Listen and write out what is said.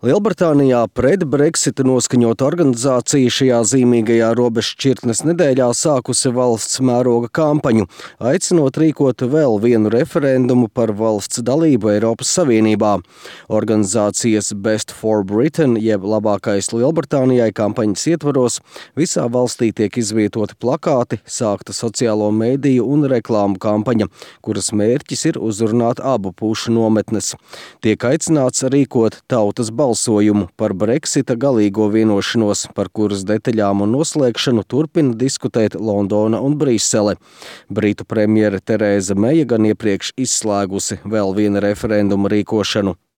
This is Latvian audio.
Lielbritānijā pret Brexita noskaņota organizācija šajā zīmīgajā robežšķirtnes nedēļā sākusi valsts mēroga kampaņu, aicinot rīkot vēl vienu referendumu par valsts dalību Eiropas Savienībā. Organizācijas Best for Britain, jeb labākais Lielbritānijai kampaņas ietvaros, visā valstī tiek izvietoti plakāti, sākta sociālo mediju un reklāmu kampaņa, kuras mērķis ir uzrunāt abu pušu nometnes. Tiek aicināts rīkot tautas balsojumu par Brexita galīgo vienošanos, par kuras detaļām un noslēgšanu turpina diskutēt Londona un Brisele. Britu premjere Terēza Meja gan iepriekš izslēgusi vēl viena referenduma rīkošanu.